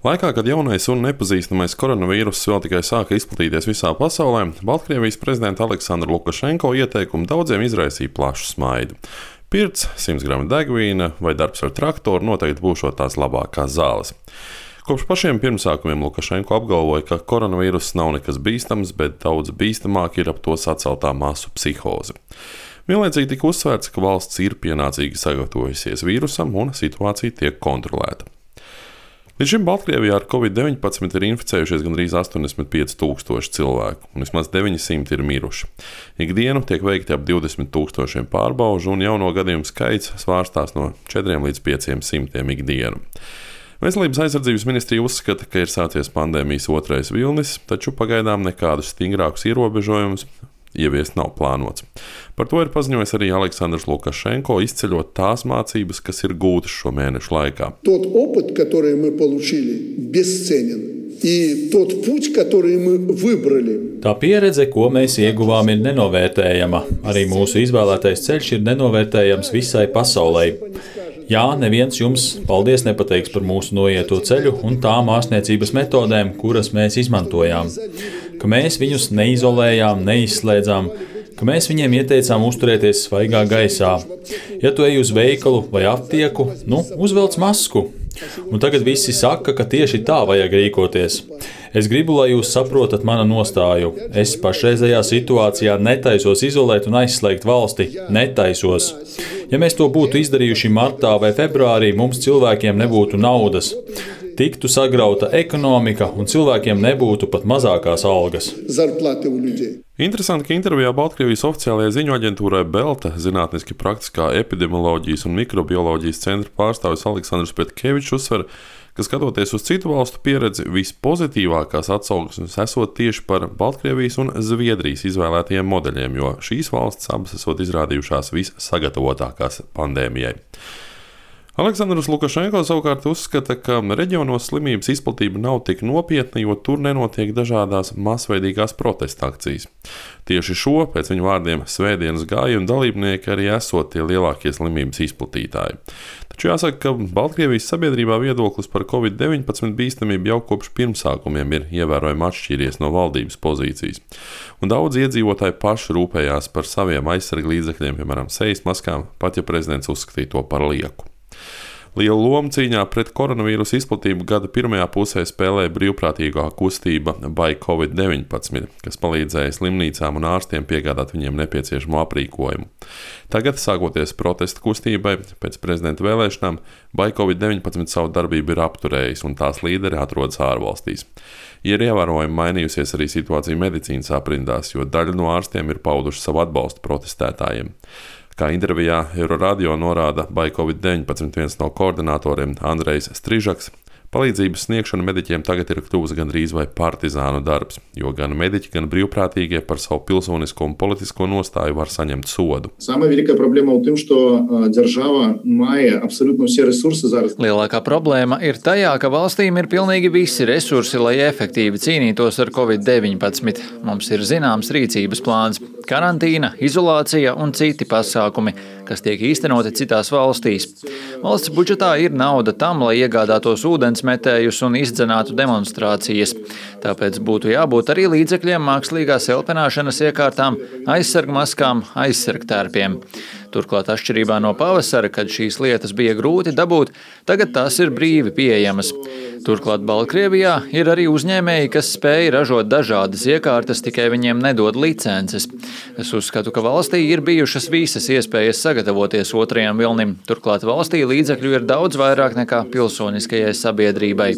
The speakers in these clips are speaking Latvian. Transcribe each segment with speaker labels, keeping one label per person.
Speaker 1: Laikā, kad jaunais un nepazīstamais koronavīruss vēl tikai sāka izplatīties visā pasaulē, Baltkrievijas prezidenta Aleksandra Lukašenko ieteikumi daudziem izraisīja plašu smaidu. Pirts, 100 gramu degvīna vai darbs ar traktoru noteikti būšot tās labākās zāles. Kopš pašiem pirmsākumiem Lukašenko apgalvoja, ka koronavīruss nav nekas bīstams, bet daudz bīstamāk ir ap to saceltā masu psihoze. Vienlaicīgi tika uzsvērts, ka valsts ir pienācīgi sagatavojusies vīrusam un situācija tiek kontrolēta. Līdz šim Baltkrievijā ar Covid-19 ir inficējušies gandrīz 85,000 cilvēku, un vismaz 900 ir miruši. Ikdienu tiek veikti ap 20,000 pārbaužu, un jauno gadījumu skaits svārstās no 4 līdz 500 ikdienu. Veselības aizsardzības ministrija uzskata, ka ir sācies pandēmijas otrais vilnis, taču pagaidām nekādus stingrākus ierobežojumus ieviest nav plānots. Par to ir paziņojis arī Aleksandrs Lukašenko, izceļot tās mācības, kas ir gūtas šo mēnešu laikā.
Speaker 2: Тот опыт, который мы получили, бесценен. И тот путь, который мы выбрали.
Speaker 3: Tā pieredze, ko mēs ieguvām, ir nenovērtējama. Arī mūsu izvēlētais ceļš ir nenovērtējams visai pasaulē. Jā, neviens jums paldies nepateiks par mūsu noieto ceļu un tām ārstniecības metodēm, kuras mēs izmantojām. Ka mēs viņus neizolējām, neizslēdzām, ka mēs viņiem ieteicām uzturēties svaigā gaisā. Ja tu ej uz veikalu vai aptieku, uzvelc masku. Un tagad visi saka, ka tieši tā vajag rīkoties. Es gribu, lai jūs saprotat manu nostāju. Es pašreizējā situācijā netaisos izolēt un aizslēgt valsti. Netaisos. Ja mēs to būtu izdarījuši martā vai februārī, mums cilvēkiem nebūtu naudas. Tiktu sagrauta ekonomika un cilvēkiem nebūtu pat mazākās algas.
Speaker 1: Interesanti, ka intervijā Baltkrievijas oficiālajai ziņu aģentūrai Belta zinātniski praktiskā epidemioloģijas un mikrobioloģijas centra pārstāvis Aleksandrs Petkevičs uzsver, ka skatoties uz citu valstu pieredzi, vispozitīvākās atsauksmes esot tieši par Baltkrievijas un Zviedrijas izvēlētajiem modeļiem, jo šīs valstis abas esot izrādījušās vissagatavotākās pandēmijai. Aleksandrs Lukašenko savukārt uzskata, ka reģionos slimības izplatība nav tik nopietna, jo tur nenotiek dažādās masveidīgās protesta akcijas. Tieši šo, pēc viņa vārdiem, svētdienas gājienu dalībnieki arī esot tie lielākie slimības izplatītāji. Taču jāsaka, ka Baltkrievijas sabiedrībā viedoklis par Covid-19 bīstamību jau kopš pirmsākumiem ir ievērojami atšķīries no valdības pozīcijas. Un daudz iedzīvotāji paši rūpējās par saviem aizsarglīdzekļiem, piemēram, sejas maskām, pat ja prezidents uzskatīja to par lieku. Lielu lomu cīņā pret koronavīrusu izplatību gada pirmajā pusē spēlēja brīvprātīgā kustība Buy Covid-19, kas palīdzēja slimnīcām un ārstiem piegādāt viņiem nepieciešamo aprīkojumu. Tagad, sākoties protesta kustībai, pēc prezidenta vēlēšanām, Buy Covid-19 savu darbību ir apturējis un tās līderi atrodas ārvalstīs. Ir ievērojami mainījusies arī situācija medicīnas aprindās, jo daļa no ārstiem ir pauduši savu atbalstu protestētājiem. Kā intervijā Euroradio norāda Buy Covid-19 viens no koordinatoriem Andrejs Strižaks, palīdzības sniegšana mediķiem tagad ir kļuvusi gandrīz vai partizānu darbs, jo gan mediķi, gan brīvprātīgie par savu pilsonisko un politisko nostāju var saņemt sodu.
Speaker 4: Lielākā problēma ir tajā, ka valstīm ir pilnīgi visi resursi, lai efektīvi cīnītos ar Covid-19. Mums ir zināms rīcības plāns – karantīna, izolācija un citi pasākumi, kas tiek īstenoti citās valstīs. Valsts budžetā ir nauda tam, lai iegādātos ūdensmetējus un izdzenātu demonstrācijas. Tāpēc būtu jābūt arī līdzekļiem mākslīgās elpenāšanas iekārtām, aizsargmaskām, aizsargtērpiem. Turklāt atšķirībā no pavasara, kad šīs lietas bija grūti dabūt, tagad tās ir brīvi pieejamas. Turklāt Baltkrievijā ir arī uzņēmēji, kas spēj ražot dažādas iekārtas, tikai viņiem nedod licences. Es uzskatu, ka valstī ir bijušas visas iespējas sagatavoties otrajam vilnim. Turklāt valstī līdzekļu ir daudz vairāk nekā pilsoniskajai sabiedrībai.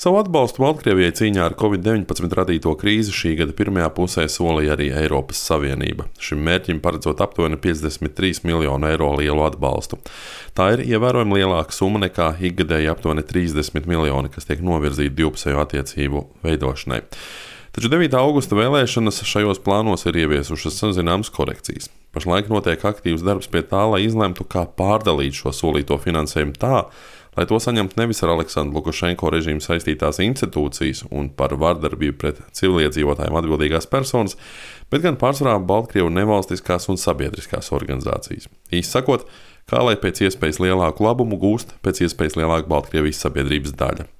Speaker 1: Savu atbalstu Baltkrievijai cīņā ar Covid-19 radīto krīzi šī gada pirmajā pusē solīja arī Eiropas Savienība. Šim mērķim paredzot aptuveni 53 miljonu eiro lielu atbalstu. Tā ir ievērojami lielāka summa nekā ikgadēji aptuveni 30 miljoni, kas tiek novirzīti divpusējo attiecību veidošanai. Taču 9. augusta vēlēšanas šajos plānos ir ieviesušas zināmas korekcijas. Pašlaik notiek aktīvs darbs pie tā, lai izlemtu, kā pārdalīt šo solīto finansējumu tā, lai to saņemtu nevis ar Aleksandru Lukašenko režīmu saistītās institūcijas un par vardarbību pret civiliedzīvotājiem atbildīgās personas, bet gan pārsvarā Baltkrievu nevalstiskās un sabiedriskās organizācijas. Īsi sakot, kā lai pēc iespējas lielāku labumu gūst pēc iespējas lielāka Baltkrievijas sabiedrības daļa.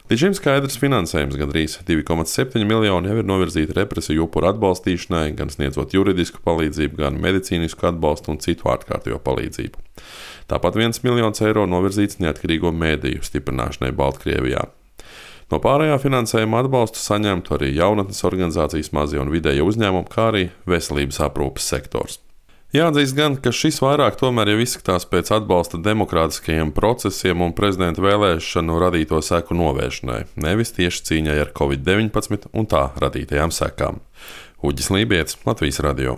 Speaker 1: Līdz šim skaidrs finansējums gandrīz 2,7 miljoni jau ir novirzīti represiju upuru atbalstīšanai, gan sniedzot juridisku palīdzību, gan medicīnisku atbalstu un citu ārkārtējo palīdzību. Tāpat 1 miljons eiro novirzīts neatkarīgo mēdīju stiprināšanai Baltkrievijā. No pārējā finansējuma atbalstu saņemtu arī jaunatnes organizācijas, mazie un vidēji uzņēmumi, kā arī veselības aprūpes sektors. Jāatzīst gan, ka šis vairāk tomēr jau izskatās pēc atbalsta demokrātiskajiem procesiem un prezidenta vēlēšanu radīto seku novēršanai, nevis tieši cīņai ar Covid-19 un tā radītajām sekām. Uģis Lībietis, Latvijas radio.